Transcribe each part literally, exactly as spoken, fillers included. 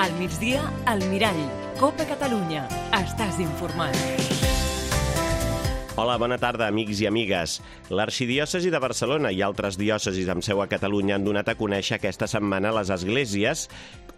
Al migdia, al Mirall. Copa Catalunya. Estàs informat. Hola, bona tarda, amics i amigues. L'arxidiòcesi de Barcelona i altres diòcesis amb seu a Catalunya han donat a conèixer aquesta setmana les esglésies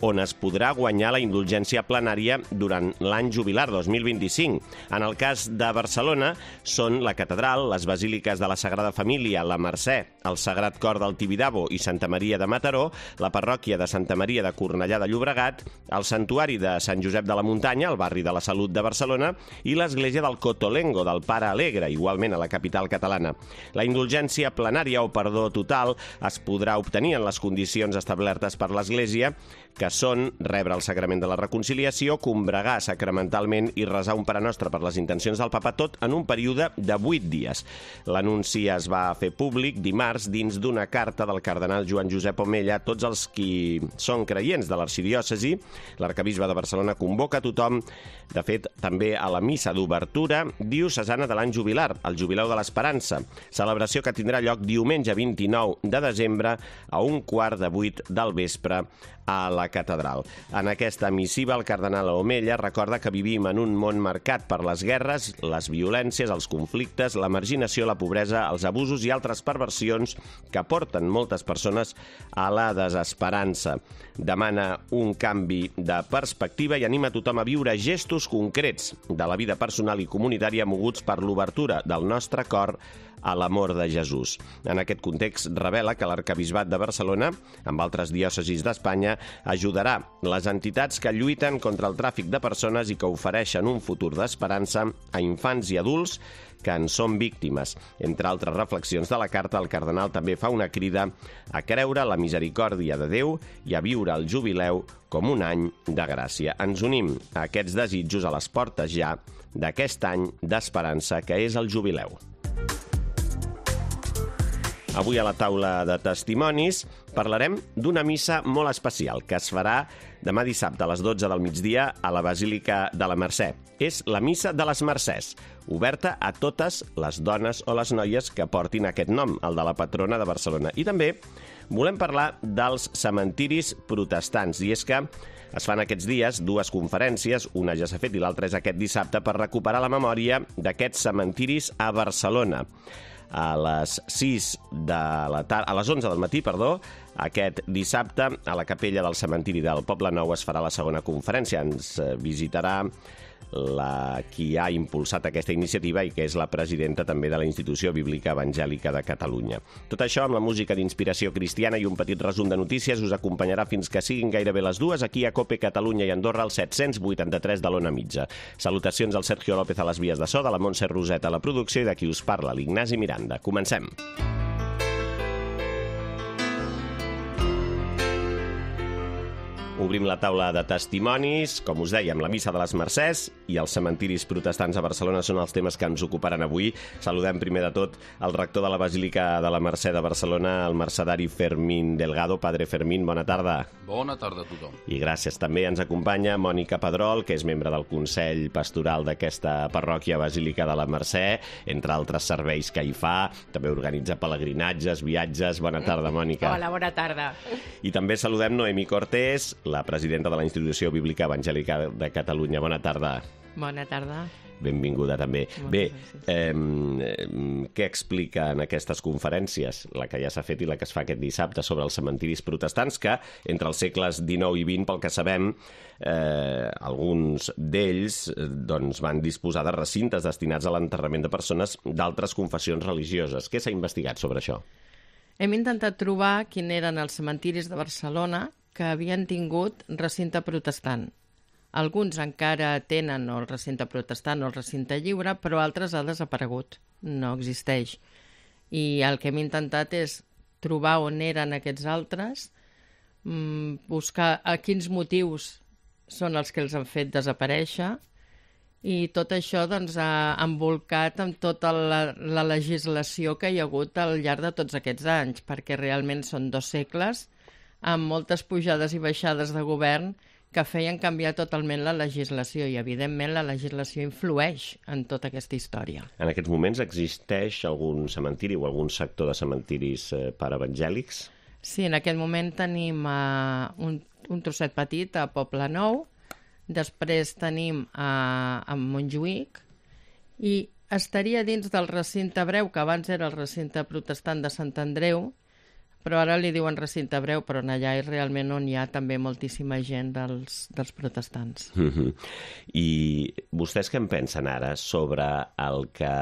on es podrà guanyar la indulgència plenària durant l'any jubilar dos mil vint-i-cinc. En el cas de Barcelona són la Catedral, les Basíliques de la Sagrada Família, la Mercè, el Sagrat Cor del Tibidabo i Santa Maria de Mataró, la parròquia de Santa Maria de Cornellà de Llobregat, el Santuari de Sant Josep de la Muntanya, al barri de la Salut de Barcelona, i l'església del Cotolengo, del Pare Alegre, igualment a la capital catalana. La indulgència plenària o perdó total es podrà obtenir en les condicions establertes per l'Església, que són rebre el Sagrament de la Reconciliació, combregar sacramentalment i resar un Pare Nostre per les intencions del Papa, tot en un període de vuit dies. L'anunci es va fer públic dimarts dins d'una carta del cardenal Joan Josep Omella a tots els qui són creients de l'arxidiòcesi. L'arcabisbe de Barcelona convoca a tothom, de fet, també a la missa d'obertura diocesana de l'any jubilar, el Jubileu de l'Esperança, celebració que tindrà lloc diumenge vint-i-nou de desembre a un quart de vuit del vespre a la catedral. En aquesta missiva, el cardenal Omella recorda que vivim en un món marcat per les guerres, les violències, els conflictes, la marginació, la pobresa, els abusos i altres perversions que porten moltes persones a la desesperança. Demana un canvi de perspectiva i anima tothom a viure gestos concrets de la vida personal i comunitària moguts per l'obertura del nostre cor a l'amor de Jesús. En aquest context revela que l'Arcabisbat de Barcelona, amb altres diòcesis d'Espanya, ajudarà les entitats que lluiten contra el tràfic de persones i que ofereixen un futur d'esperança a infants i adults que en són víctimes. Entre altres reflexions de la carta, el cardenal també fa una crida a creure la misericòrdia de Déu i a viure el jubileu com un any de gràcia. Ens unim a aquests desitjos a les portes ja d'aquest any d'esperança que és el jubileu. Avui a la taula de testimonis parlarem d'una missa molt especial que es farà demà dissabte a les dotze del migdia a la Basílica de la Mercè. És la missa de les Mercès, oberta a totes les dones o les noies que portin aquest nom, el de la patrona de Barcelona. I també volem parlar dels cementiris protestants, i és que es fan aquests dies dues conferències, una ja s'ha fet i l'altra és aquest dissabte, per recuperar la memòria d'aquests cementiris a Barcelona. A les sis de la tarda, a les onze del matí, perdó, aquest dissabte, a la capella del cementiri del Poble Nou es farà la segona conferència. Ens visitarà la qui ha impulsat aquesta iniciativa i que és la presidenta també de la Institució Bíblica Evangèlica de Catalunya. Tot això amb la música d'inspiració cristiana i un petit resum de notícies us acompanyarà fins que siguin gairebé les dues aquí a Cope Catalunya i Andorra al set-cents vuitanta-tres de l'Ona Mitja. Salutacions al Sergio López a les vies de so, de la Montse Roset a la producció i de qui us parla, l'Ignasi Miranda. Comencem! Obrim la taula de testimonis. Com us dèiem, la missa de les Mercès i els cementiris protestants a Barcelona són els temes que ens ocuparan avui. Saludem primer de tot el rector de la Basílica de la Mercè de Barcelona, el mercedari Fermín Delgado. Padre Fermín, bona tarda. Bona tarda a tothom. I gràcies. També ens acompanya Mònica Pedrol, que és membre del Consell Pastoral d'aquesta parròquia Basílica de la Mercè, entre altres serveis que hi fa. També organitza pelegrinatges, viatges. Bona tarda, Mònica. Hola, bona tarda. I també saludem Noemi Cortés, la presidenta de la Institució Bíblica Evangèlica de Catalunya. Bona tarda. Bona tarda. Benvinguda també. Moltes Bé, gràcies. eh, què explica en aquestes conferències, la que ja s'ha fet i la que es fa aquest dissabte, sobre els cementiris protestants, que entre els segles dinou i vint, pel que sabem, eh, alguns d'ells eh, doncs, van disposar de recintes destinats a l'enterrament de persones d'altres confessions religioses. Què s'ha investigat sobre això? Hem intentat trobar quin eren els cementiris de Barcelona que havien tingut recinte protestant. Alguns encara tenen el recinte protestant o el recinte lliure, però altres ha desaparegut, no existeix. I el que hem intentat és trobar on eren aquests altres, buscar a quins motius són els que els han fet desaparèixer, i tot això doncs, ha envolcat amb tota la, la legislació que hi ha hagut al llarg de tots aquests anys, perquè realment són dos segles amb moltes pujades i baixades de govern que feien canviar totalment la legislació i, evidentment, la legislació influeix en tota aquesta història. En aquests moments existeix algun cementiri o algun sector de cementiris eh, per evangèlics? Sí, en aquest moment tenim, uh, un, un trosset petit a Poble Nou, després tenim a, a Montjuïc, i estaria dins del recinte hebreu, que abans era el recinte protestant de Sant Andreu, però ara li diuen recinte hebreu, però allà és realment on hi ha també moltíssima gent dels, dels protestants. Mm-hmm. I vostès què en pensen ara sobre el que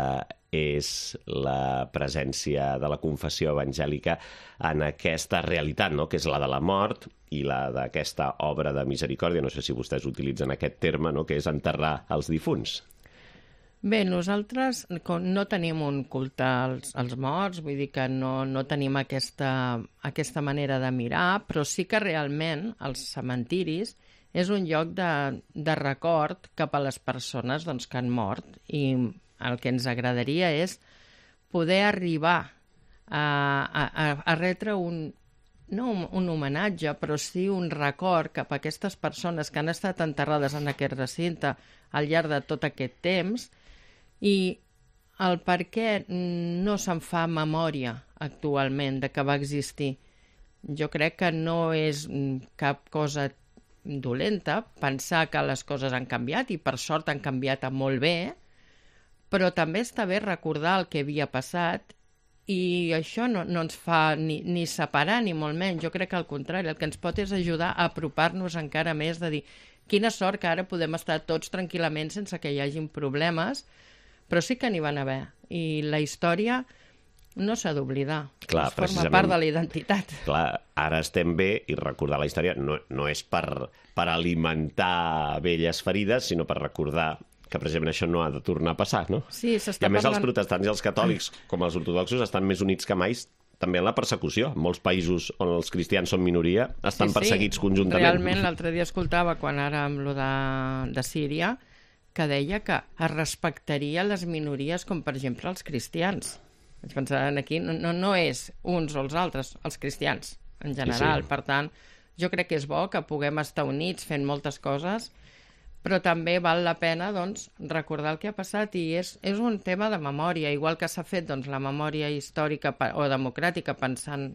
és la presència de la confessió evangèlica en aquesta realitat, no?, que és la de la mort i la d'aquesta obra de misericòrdia, no sé si vostès utilitzen aquest terme, no?, que és enterrar els difunts. Bé, nosaltres no tenim un culte als, als morts, vull dir que no, no tenim aquesta, aquesta manera de mirar, però sí que realment els cementiris és un lloc de, de record cap a les persones doncs, que han mort, i el que ens agradaria és poder arribar a, a, a retre un, no un, un homenatge, però sí un record cap a aquestes persones que han estat enterrades en aquest recinte al llarg de tot aquest temps, i el per què no se'n fa memòria actualment de que va existir. Jo crec que no és cap cosa dolenta pensar que les coses han canviat, i per sort han canviat molt bé, però també està bé recordar el que havia passat, i això no, no ens fa ni, ni separar ni molt menys. Jo crec que al contrari, el que ens pot és ajudar a apropar-nos encara més, de dir quina sort que ara podem estar tots tranquil·lament sense que hi hagin problemes, però sí que n'hi van haver, i la història no s'ha d'oblidar. Clar, forma part de la identitat. Clar, ara estem bé, i recordar la història no, no és per, per alimentar velles ferides, sinó per recordar que precisament això no ha de tornar a passar, no? Sí, s'està I a més parlant... els protestants i els catòlics, com els ortodoxos, estan més units que mai també en la persecució. En molts països on els cristians són minoria estan sí, perseguits sí. conjuntament. Realment, l'altre dia escoltava, quan ara amb lo de, de Síria, que deia que es respectaria les minories, com per exemple els cristians. Vaig pensar, aquí no, no, no és uns o els altres, els cristians en general. Sí, sí. Per tant, jo crec que és bo que puguem estar units fent moltes coses, però també val la pena doncs, recordar el que ha passat, i és, és un tema de memòria, igual que s'ha fet doncs, la memòria històrica o democràtica pensant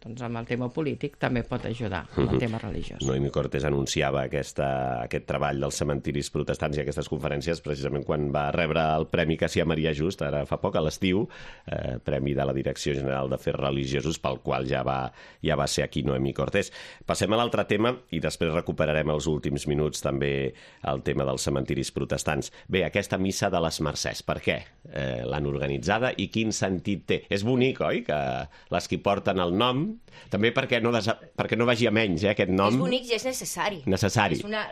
doncs amb el tema polític, també pot ajudar amb el tema religiós. Noemí Cortés anunciava aquesta, aquest treball dels cementiris protestants i aquestes conferències precisament quan va rebre el Premi Cassià Maria Just, ara fa poc, a l'estiu, eh, Premi de la Direcció General d'Afers Religiosos, pel qual ja va, ja va ser aquí Noemí Cortés. Passem a l'altre tema i després recuperarem els últims minuts també el tema dels cementiris protestants. Bé, aquesta missa de les Mercès, per què eh, l'han organitzada i quin sentit té? És bonic, oi?, que les que porten el nom, també perquè no, desa... perquè no vagi a menys, eh, aquest nom. És bonic i és necessari. Necessari. És una...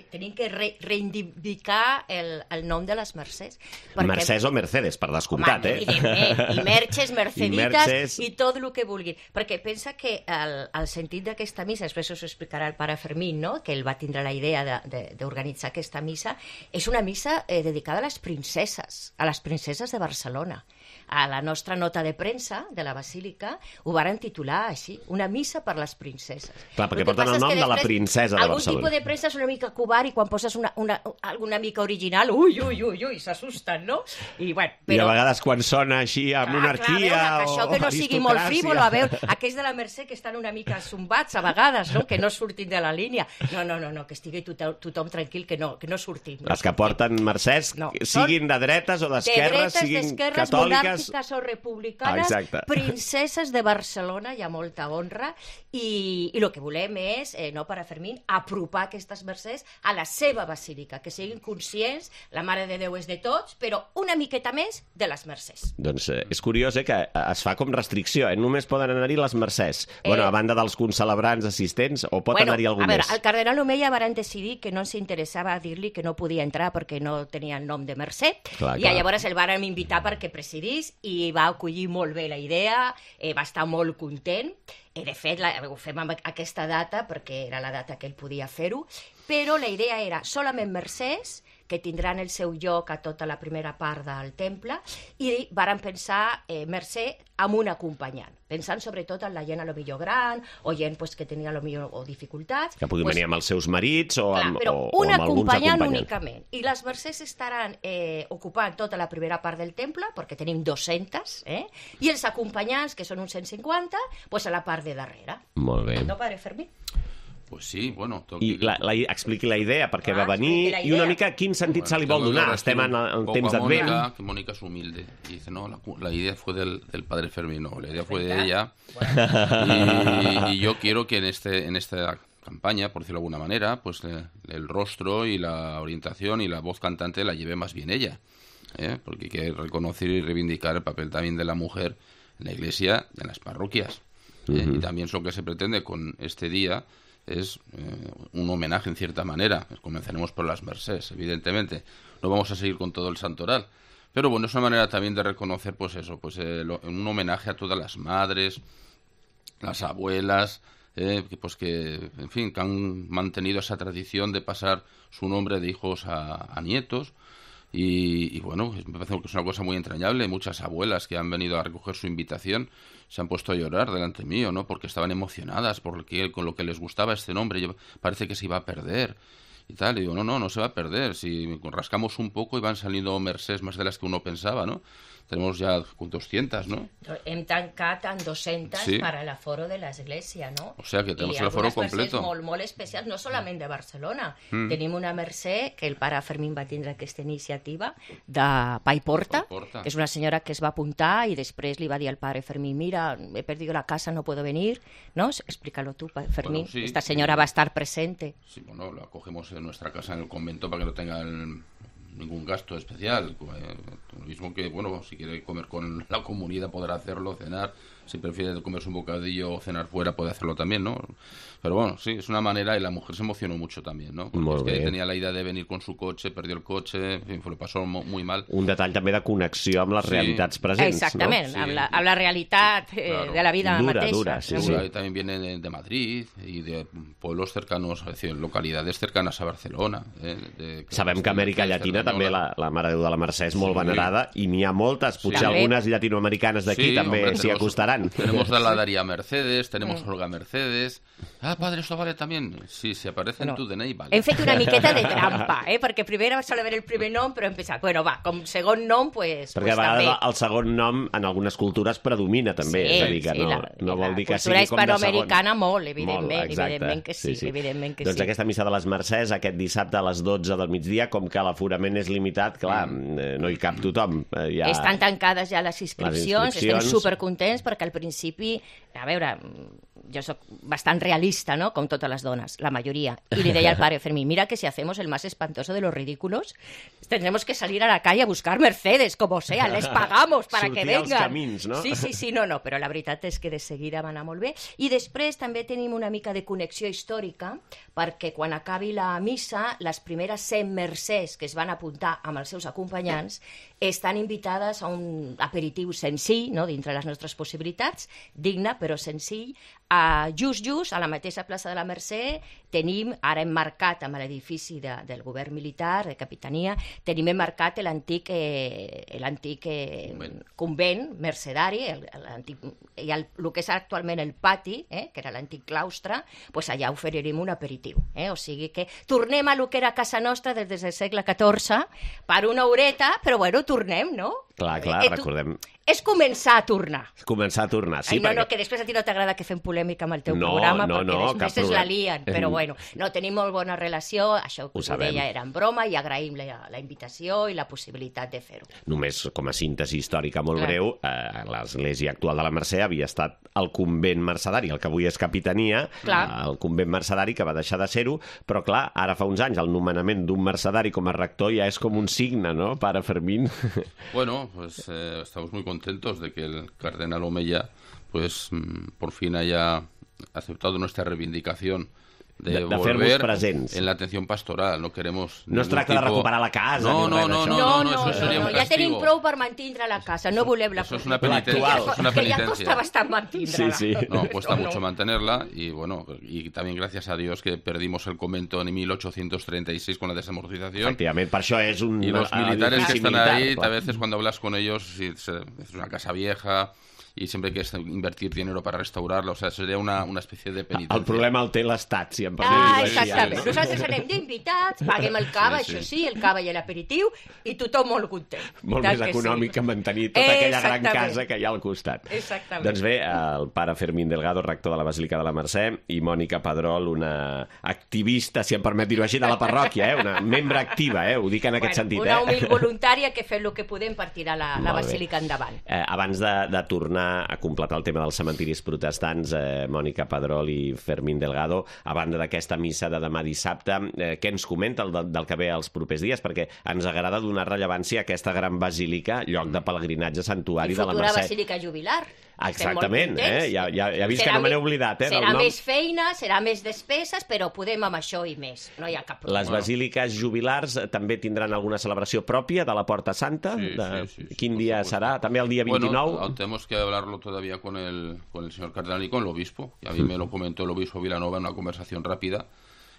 Tenim que re reivindicar el, el nom de les Mercès. Perquè... Mercès o Mercedes, per descomptat, home, eh? Evidentment. I Merches, Merceditas, I, Merces... i tot el que vulguin. Perquè pensa que el, el sentit d'aquesta missa, després us explicarà el pare Fermín, no?, que ell va tindre la idea d'organitzar aquesta missa, és una missa eh, dedicada a les princeses, a les princeses de Barcelona. A la nostra nota de premsa de la Basílica ho varen titular així, una missa per les princeses. Clar, perquè porten el nom de la princesa de Barcelona. Algun tipus de premsa és una mica covard, i quan poses una, una, alguna mica original, ui, ui, ui, ui, s'assusten, no? I, bueno, però... I a vegades quan sona així a monarquia ah, clar, veure, o això que no sigui molt aristocràcia. frívolo, a veure, aquells de la Mercè que estan una mica zumbats a vegades, no?, que no surtin de la línia. No, no, no, no, que estigui tothom, tothom tranquil, que no, que no surtin. No Les que porten Mercès, no, siguin de dretes o d'esquerres, de siguin catòliques, monàrquiques o republicanes, Exacte. Princeses de Barcelona, hi ha molta honra, i, i el que volem és, eh, no, pare Fermín, apropar aquestes mercès a la seva basílica, que siguin conscients, la Mare de Déu és de tots, però una miqueta més de les mercès. Doncs eh, és curiós, eh, que es fa com restricció, eh? Només poden anar-hi les mercès. Eh... Bueno, a banda dels concelebrants assistents, o pot bueno, anar-hi algú a veure, més? El cardenal Omeia varen decidir que no ens interessava dir-li que no podia entrar perquè no tenia el nom de mercè, clar, i clar. llavors el varen invitar perquè presidís, i va acollir molt bé la idea, eh, va estar molt content. I de fet, la, ho fem amb aquesta data perquè era la data que ell podia fer-ho, però la idea era solament mercès, que tindran el seu lloc a tota la primera part del temple, i varen pensar eh, mercè amb un acompanyant, pensant sobretot en la gent a lo millor gran, o gent pues, que tenia a lo millor o dificultats. Que puguin pues, venir amb els seus marits o amb, clar, però o, o un amb alguns acompanyant acompanyants. únicament. I les mercès estaran eh, ocupant tota la primera part del temple, perquè tenim dues-centes, eh? I els acompanyants, que són uns cent cinquanta, pues, a la part de darrere. Molt bé. No, pare Fermín? Pues sí, bueno... I la, la, expliqui la idea, perquè Ah, va venir, expliqui la i una idea. mica quin sentit Bueno, se li vol tengo que donar. ahora Estem en, en un poco temps a d'advent. Mónica, que Mónica es humilde. Y dice, no, la, la idea fue del, del padre Fermín, no, la idea fue de ella. Y, y yo quiero que en este en esta campaña, por decirlo de alguna manera, pues eh, el rostro y la orientación y la voz cantante la lleve más bien ella. ¿eh? Porque hay que reconocer y reivindicar el papel también de la mujer en la iglesia y en las parroquias. ¿eh? Uh-huh. Y también lo que se pretende con este día es eh, un homenaje en cierta manera. Comenzaremos por las Mercés, evidentemente. No vamos a seguir con todo el santoral. Pero bueno, es una manera también de reconocer, pues eso, pues eh, lo, un homenaje a todas las madres, las abuelas, eh, que, pues que, en fin, que han mantenido esa tradición de pasar su nombre de hijos a, a nietos. Y, y bueno, me parece que es una cosa muy entrañable. Muchas abuelas que han venido a recoger su invitación se han puesto a llorar delante mío, ¿no? Porque estaban emocionadas porque con lo que les gustaba este nombre. Yo, parece que se iba a perder y tal. Y digo, no, no, no se va a perder. Si rascamos un poco y van saliendo Mercés más de las que uno pensaba, ¿no? Tenemos ya doscientas, ¿no? Hem tancat en dues-centes Sí. per a l'aforo de l'església, no? O sea que tenemos I el aforo algunes mercès completo. molt, molt especials, no solament de Barcelona. Mm. Tenim una mercè que el pare Fermín va tindre aquesta iniciativa de Paiporta, Paiporta. que és una senyora que es va apuntar i després li va dir al pare Fermín, mira, he perdido la casa, no puedo venir, ¿no? Explícalo tú, pa- Fermín. Bueno, sí, Esta señora sí. va a estar presente. Sí, bueno, lo acogemos en nuestra casa en el convento para que no tengan ningún gasto especial. Eh, lo mismo que, bueno, si quiere comer con la comunidad podrá hacerlo, cenar. Si prefiere comerse un bocadillo o cenar fuera puede hacerlo también, ¿no? Pero bueno, sí, es una manera y la mujer se emocionó mucho también, ¿no? Porque Molt es que bé. tenía la idea de venir con su coche, perdió el coche, en fin, lo pasó mo- muy mal. Un detall també de connexió amb les Sí. realitats presents, Exactament, Sí. amb, la, amb la realitat eh, Claro. de la vida Dura, mateixa. dura, sí, Seguro sí. ahí también vienen de, de Madrid y de pueblos cercanos, es decir, localidades cercanas a Barcelona. Eh, de- Sabem que a Amèrica de Llatina Cerdanyola. també la, la Mare de Déu de la Mercè és molt Sí. venerada i n'hi ha moltes, potser Sí. algunes llatinoamericanes d'aquí Sí, també hombre, s'hi tenemos- acostaran. Tenemos a la Daría Mercedes, tenemos Mm. Olga Mercedes. Ah, padre, ¿esto vale también? Sí, si aparece Bueno, en tu D N I, vale. Hem fet una miqueta de trampa, eh? Perquè primer va soler haver el primer nom, però hem pensat, bueno, va, com segon nom, pues, Perquè pues a vegades també. el segon nom en algunes cultures predomina també, Sí, és a dir, que sí, no, la- no vol la dir que cultura sigui com de segon. hispanoamericana molt, evidentment, Molt, exacte. evidentment que sí, evidentment que doncs sí. aquesta missa de les Mercès, aquest dissabte a les dotze del migdia, com que l'aforament és limitat, clar, Mm. eh, no hi cap tothom. Eh, ja... Estan tancades ja les inscripcions, inscripcions. estem supercontents perquè al principi, a veure, jo sóc bastant realista, ¿no? Com totes les dones, la majoria. I li deia al pare Fermín, mira que si hacemos el más espantoso de los ridículos, tendremos que salir a la calle a buscar Mercedes, como sea, les pagamos para que Sortir als vengan. camins, no? Sí, sí, sí, no, no, però la veritat és que de seguida va anar molt bé. I després també tenim una mica de connexió històrica, perquè quan acabi la missa, les primeres cent mercès que es van apuntar amb els seus acompanyants estan invitades a un aperitiu senzill, no?, dintre les nostres possibilitats, digne però senzill. A just, just, a la mateixa plaça de la Mercè, tenim, ara hem marcat amb l'edifici de, del govern militar, de capitania, tenim emmarcat l'antic eh, l'antic eh, Convent. convent mercedari, el, l'antic, i el, el que és actualment el pati, eh, que era l'antic claustre, pues allà oferirem un aperitiu. Eh? O sigui que tornem a lo que era casa nostra des del segle catorze per una horeta, però bueno, tornem, no? Clar, clar, Eh, tu- recordem. És començar a tornar. Començar a tornar, sí, Ai, no, perquè... no, que després a ti no t'agrada que fem polèmica amb el teu No, programa, no, perquè no, després cap es la problema. lien, però Eh, bueno, no, tenim molt bona relació, això Ho que us ho sabem. deia era en broma i agraïm la, la invitació i la possibilitat de fer-ho. Només com a síntesi històrica molt Clar. breu, eh, l'església actual de la Mercè havia estat el convent mercedari, el que avui és capitania, Clar. el convent mercedari que va deixar de ser-ho, però clar, ara fa uns anys el nomenament d'un mercedari com a rector ja és com un signe, no, pare Fermín? Bueno, pues eh, estamos muy contentos de que el cardenal Omeya, pues mm, por fin haya aceptado nuestra reivindicación de, De- de fer-vos volver presents. en la atención pastoral. No queremos No es ningún tracta de tipo- recuperar la casa No, ni no, res no, d'això. no, No, no, no, eso sería no, un ja tenim castigo. prou per mantindre la casa, no volem la Eso es una construcció. penitencia, L'actual. eso es una Que ja penitencia. costa bastant mantindre-la. Sí, sí. No, cuesta No, mucho no. mantenerla y bueno, y también gracias a Dios que perdimos el convento en mil ochocientos treinta y seis con la desamortización. Efectivament, per això és un Y los militares que edifici están militar, ahí, clar. a veces cuando hablas con ellos, sí, se- es una casa vieja y siempre hay que invertir dinero para restaurarla, o sea, sería una, una especie de penitencia. El problema el té l'Estat, si em Ah, permets. exactament. Nosaltres anem d'invitats, paguem el cava, Sí, sí. això sí, el cava i l'aperitiu, i tothom molt content. Molt Tant més que econòmic sí. que mantenir tota aquella gran Exactament. casa que hi ha al costat. Exactament. Doncs bé, el pare Fermín Delgado, rector de la Basílica de la Mercè, i Mònica Pedrol, una activista, si em permet dir-ho així, de la parròquia, eh? Una membre activa, eh? Ho dic en aquest sentit. Una eh? humil voluntària que fem el que podem per tirar la, la Molt bé. basílica endavant. Eh, abans de, de tornar a completar el tema dels cementiris protestants, eh, Mònica Pedrol i Fermín Delgado, a banda d'aquesta missa de demà dissabte, eh, què ens comenta el, del que ve els propers dies? Perquè ens agrada donar rellevància a aquesta gran basílica, lloc de pelegrinatge, santuari I de la futura Mercè. basílica jubilar. Exactament, Estem molt eh? Ja, ja, ja he vist Serà que no me n'he me- oblidat, eh? del Serà nom. més feina, serà més despeses, però podem amb això i més. No hi ha cap problema. Les basíliques jubilars eh, també tindran alguna celebració pròpia de la Porta Santa? Sí, de... sí, sí, sí, Quin por dia supuesto. serà? També el dia vint-i-nou? Bueno, tenemos que hablarlo todavía con el, con el señor cardenal y con el obispo. Y a mí me lo comentó el obispo Vilanova en una conversación rápida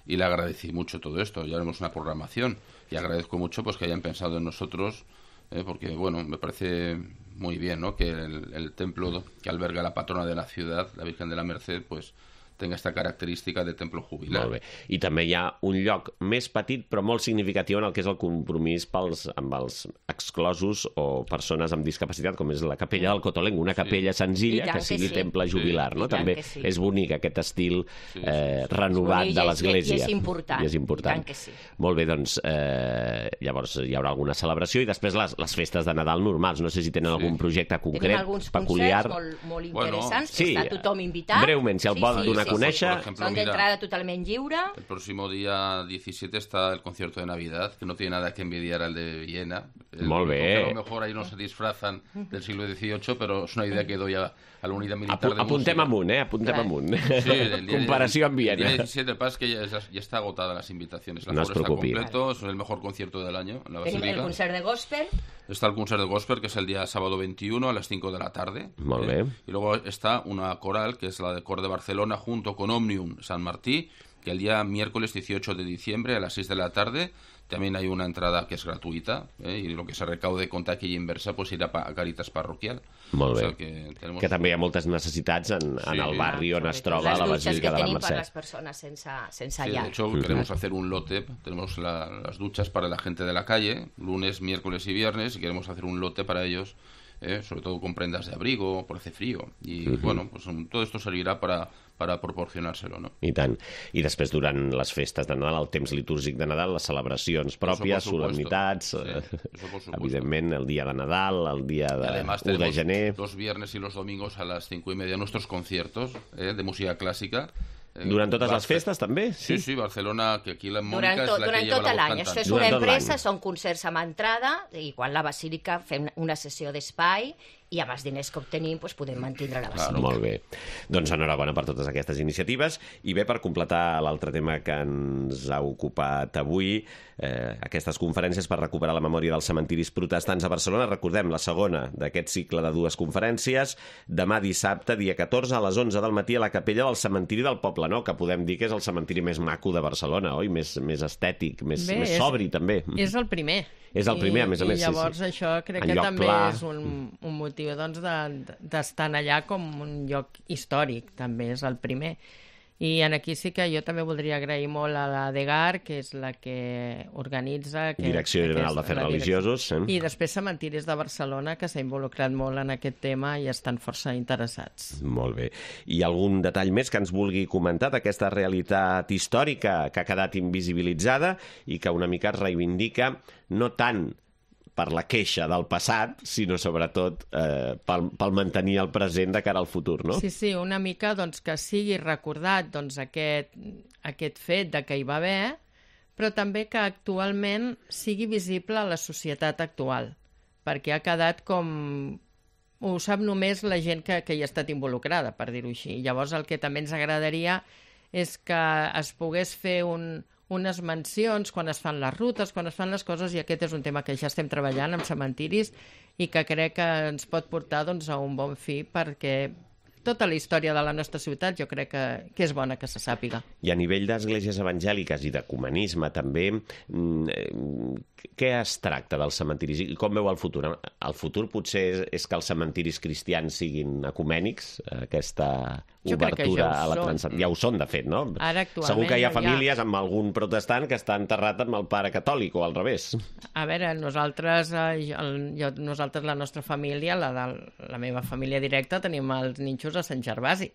y le agradecí mucho todo esto. Ya haremos una programación y agradezco mucho pues que hayan pensado en nosotros, eh, porque bueno, me parece muy bien, ¿no? Que el, el templo que alberga la patrona de la ciudad, la Virgen de la Merced, pues tenga esta característica de templo jubilar. Molt bé. I també hi ha un lloc més petit però molt significatiu en el que és el compromís pels, amb els exclosos o persones amb discapacitat, com és la capella del Cotolenc, una capella senzilla I tant que que sigui sí. temple jubilar, Sí. no? I tant També que sí. és bonic aquest estil Sí, sí, eh, sí. renovat És bonic de i és- l'Església. i és important. I és important. I tant que sí. Molt bé, doncs eh, llavors hi haurà alguna celebració i després les, les festes de Nadal normals. No sé si tenen Sí. algun projecte Tenim concret, alguns peculiar. concerts molt, molt Bueno, interessants, sí, que està tothom invitat. breument, si el vol donar a conèixer. Por ejemplo, Són mira, d'entrada totalment lliure. el próximo día diecisiete está el concierto de Navidad, que no tiene nada que envidiar al de Viena. El Molt único bé. que A lo mejor ahí no se disfrazan del siglo dieciocho, pero es una idea que doy a, a la unidad militar Apu de apuntem música. amunt, eh? Apuntem Clar. amunt. Sí, el día- Comparació amb el día Viena. diecisiete, el que pasa es que ya, ya está agotada las invitaciones. El No es aforo está preocupi. completo, es el mejor concierto del año en la Tenim el Basílica. concert de gospel. Está el concert de gospel, que es el día sábado veintiuno a las cinco de la tarde. Molt ¿eh? bé. Y luego está una coral, que es la de Cor de Barcelona, junto con Omnium San Martí, que el día miércoles dieciocho de diciembre a las seis de la tarde también hay una entrada que es gratuita, ¿eh? Y lo que se recaude con taquilla inversa pues irá pa- a Caritas Parroquial. Molt O bé. sea que, tenemos... Que també hi ha moltes necessitats en, en Sí. el barri on es Sobretot troba les la dutxes Basílica que de la tenim per Mercè. les persones sense, sense Sí, llar. de hecho, queremos hacer un lote. Tenemos la- las duchas para la gente de la calle, lunes, miércoles y viernes, y queremos hacer un lote para ellos, eh, sobre todo con prendas de abrigo, por hace frío. Y bueno, pues um, todo esto servirá para, para proporcionárselo, ¿no? I tant. I després, durant les festes de Nadal, el temps litúrgic de Nadal, les celebracions pròpies, Eso por supuesto. solemnitats, Sí, eh, eso por supuesto. evidentment, el dia de Nadal, el dia Y de además u de tenemos gener. los viernes y los domingos a las cinco y media nuestros conciertos eh, de música clásica. Eh, Durant totes les Barce- festes, també? Sí, sí, Barcelona, que aquí la Mónica Durant, es tot, la que durant lleva tot la voz l'any. cantante. Això és Durant una tot empresa, l'any. són concerts amb entrada, igual la Basílica fem una sessió d'espai i amb els diners que obtenim doncs, podem mantindre la Basílica. Molt bé. Doncs enhorabona per totes aquestes iniciatives. I bé, per completar l'altre tema que ens ha ocupat avui, eh, aquestes conferències per recuperar la memòria dels cementiris protestants a Barcelona. Recordem, la segona d'aquest cicle de dues conferències, demà dissabte, dia catorze, a les onze del matí, a la capella del cementiri del Poble Nou, que podem dir que és el cementiri més maco de Barcelona, oi? Més, més estètic, més, Bé, més és- sobri, també. És el primer. És el primer, a més a més, I sí, llavors sí. això crec En que lloc també pla. és un, un motiu doncs, de- d'estar allà com un lloc històric, també és el primer. I en aquí sí que jo també voldria agrair molt a la DEGAR, que és la que organitza... Aquest, Direcció General aquesta- d'Afers la direcció. Religiosos. Eh? I després Cementiris de Barcelona, que s'ha involucrat molt en aquest tema i estan força interessats. Molt bé. I algun detall més que ens vulgui comentar d'aquesta realitat històrica que ha quedat invisibilitzada i que una mica es reivindica no tant per la queixa del passat, sinó sobretot eh, pel, pel mantenir el present de cara al futur, no? Sí, sí, una mica doncs, que sigui recordat doncs, aquest, aquest fet de que hi va haver, però també que actualment sigui visible a la societat actual, perquè ha quedat com... Ho sap només la gent que, que hi ha estat involucrada, per dir-ho així. Llavors el que també ens agradaria és que es pogués fer un, unes mencions quan es fan les rutes, quan es fan les coses, i aquest és un tema que ja estem treballant amb cementiris i que crec que ens pot portar doncs, a un bon fi perquè tota la història de la nostra ciutat jo crec que, que és bona que se sàpiga. I a nivell d'esglésies evangèliques i d'ecumenisme també, què es tracta dels cementiris i com veu el futur? El futur potser és, és que els cementiris cristians siguin ecumènics, aquesta obertura ja a la transcendència. Ja ho són, de fet, no? Ara, actualment, segur que hi ha ja famílies ha... amb algun protestant que està enterrat amb el pare catòlic o al revés. A veure, nosaltres, eh, el, jo, nosaltres la nostra família, la de la meva família directa, tenim els ninxos a Sant Gervasi.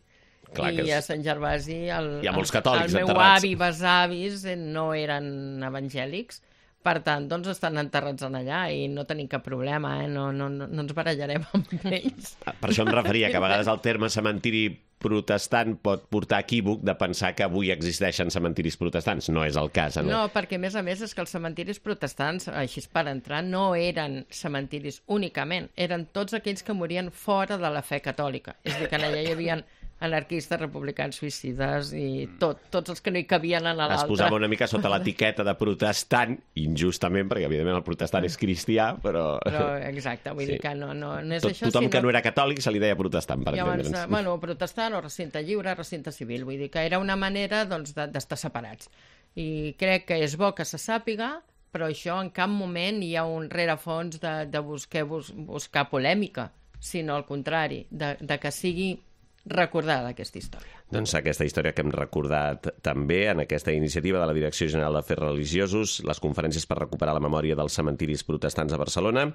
Clar I és... a Sant Gervasi el, hi ha molts catòlics el meu enterrats. avi i besavis no eren evangèlics, per tant, doncs estan enterrats en allà i no tenim cap problema, eh? no, no, no ens barallarem amb ells. Per això em referia que a vegades el terme cementiri protestant pot portar equívoc de pensar que avui existeixen cementiris protestants. No és el cas. No, no perquè a més a més és que els cementiris protestants, així per entrar, no eren cementiris únicament, eren tots aquells que morien fora de la fe catòlica. És a dir, que allà hi havia anarquistes, republicans, suïcides i tot, tots els que no hi cabien en l'altre. Es posava una mica sota l'etiqueta de protestant, injustament, perquè evidentment el protestant és cristià, però... Però exacte, vull sí. dir que no, no, no és Tot, això, tothom sinó... que no era catòlic se li deia protestant, per Llavors, entendre'ns. Bueno, protestant o recinte lliure, recinte civil, vull dir que era una manera doncs, d'estar separats. I crec que és bo que se sàpiga, però això en cap moment hi ha un rerefons de, de buscar, bus, buscar polèmica, sinó al contrari, de, de que sigui recordada aquesta història. Doncs aquesta història que hem recordat també en aquesta iniciativa de la Direcció General d'Afers Religiosos, les conferències per recuperar la memòria dels cementiris protestants a Barcelona.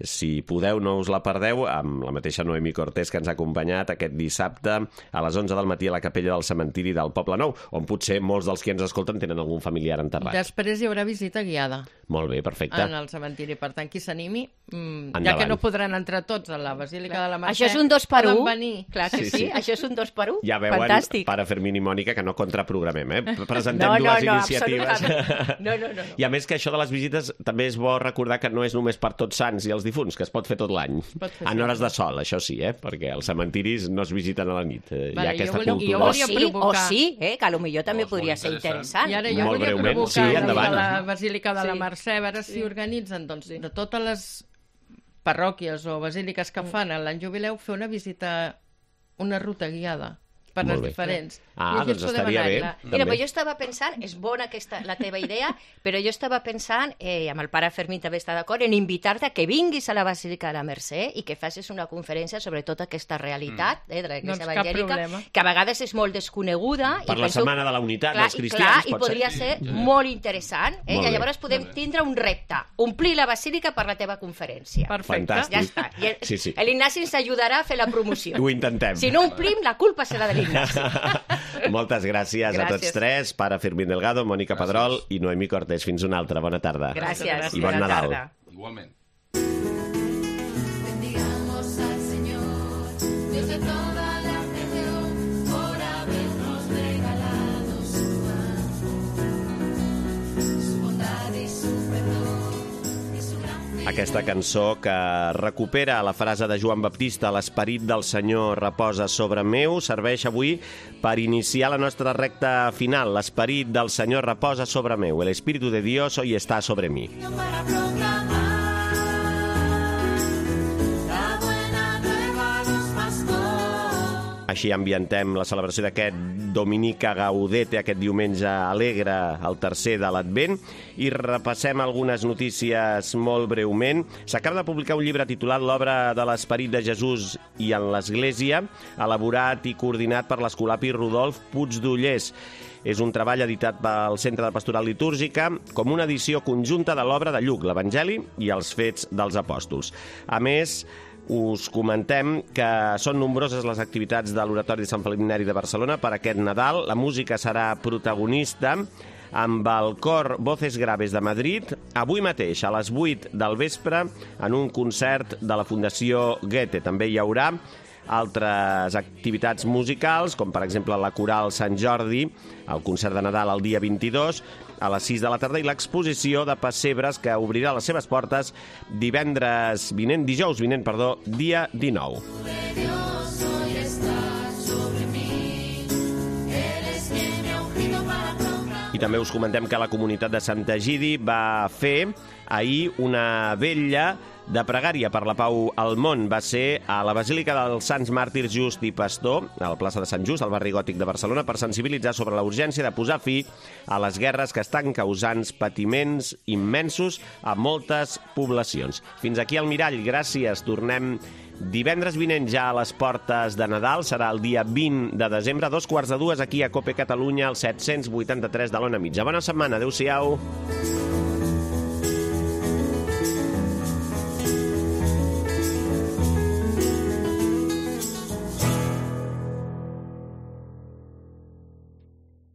Si podeu, no us la perdeu, amb la mateixa Noemí Cortés que ens ha acompanyat aquest dissabte a les onze del matí a la capella del cementiri del Poble Nou, on potser molts dels que ens escolten tenen algun familiar enterrat. Després hi haurà visita guiada. Molt bé, perfecte. En el cementiri, per tant, qui s'animi, mmm, ja que no podran entrar tots a la Basílica Clar. de la Mercè, això és un dos per un. Clar que sí, sí. sí, això és un dos per un. Ja veuen, Fantàstic. Pare Fermín i Mònica, que no contraprogramem, eh? Presentem no, no, dues no, iniciatives. No, no, no, no. I a més que això de les visites també és bo recordar que no és només per Tots Sants i els difunts, que es pot fer tot l'any. En hores de sol, això sí, eh? Perquè els cementiris no es visiten a la nit. Eh? Vale, hi ha aquesta volia, cultura. O sí, provocar... o sí, eh? Que potser també oh, podria ser interessant. I ara jo Molt volia breument. provocar Sí, endavant. la Basílica de sí. la Mercè, a veure sí. si organitzen doncs, de totes les parròquies o basíliques que fan a l'any jubileu, fer una visita, una ruta guiada per les diferents. Ah, doncs estaria bé. Mira, però jo estava pensant, és bona aquesta, la teva idea, però jo estava pensant, eh, amb el pare Fermín també està d'acord, en invitar-te a que vinguis a la Basílica de la Mercè i que facis una conferència sobre tota aquesta realitat mm. eh, de l'Església doncs evangèlica, que a vegades és molt desconeguda. Per i la penso, Setmana de la Unitat clar, dels Cristians. Clar, i podria ser, ser molt interessant, eh? Molt I llavors podem tindre un repte, omplir la Basílica per la teva conferència. Perfecte. Fantàstic. Ja està. I el, sí, sí. l'Ignasi ens ajudarà a fer la promoció. Ho intentem. Si no omplim, la culpa serà de l'Ignasi. Moltes gràcies, gràcies a tots tres, pare Fermín Delgado, Mònica gràcies. Pedrol i Noemí Cortés. Fins una altra. Bona tarda. Gràcies. I bon Bona Nadal. tarda. Igualment. Bendigamos al Señor, Dios de toda la creación, por habernos regalado su amor, su bondad y su perdón. Aquesta cançó que recupera la frase de Joan Baptista, l'esperit del Senyor reposa sobre meu, serveix avui per iniciar la nostra recta final. L'esperit del Senyor reposa sobre meu. El Espíritu de Dios hoy está sobre mí. Para proclamar la buena nueva a los pastores. Així ambientem la celebració d'aquest Dominica Gaudete, aquest diumenge alegre, el tercer de l'Advent, i repassem algunes notícies molt breument. S'acaba de publicar un llibre titulat L'obra de l'Esperit de Jesús i en l'Església, elaborat i coordinat per l'escolapi Rodolf Puigdollers. És un treball editat pel Centre de Pastoral Litúrgica com una edició conjunta de l'obra de Lluc, l'Evangeli i els Fets dels Apòstols. A més, us comentem que són nombroses les activitats de l'Oratori de Sant Felip Neri de Barcelona per aquest Nadal. La música serà protagonista amb el cor Voces Graves de Madrid, avui mateix a les vuit del vespre en un concert de la Fundació Goethe. També hi haurà altres activitats musicals, com per exemple la Coral Sant Jordi, el concert de Nadal el dia vint-i-dos, a les sis de la tarda, i l'exposició de pessebres que obrirà les seves portes divendres vinent, dijous vinent, perdó, dia dinou. I també us comentem que la comunitat de Sant Egidi va fer ahir una vetlla de pregària per la pau al món va ser a la Basílica dels Sants Màrtirs Just i Pastor, a la plaça de Sant Just, al barri gòtic de Barcelona, per sensibilitzar sobre la urgència de posar fi a les guerres que estan causant patiments immensos a moltes poblacions. Fins aquí el Mirall, gràcies. Tornem divendres vinent ja a les portes de Nadal, serà el dia vint de desembre, a dos quarts de dues, aquí a COPE Catalunya, al set-cents vuitanta-tres de l'Ona Mitja. Bona setmana, adeu-siau.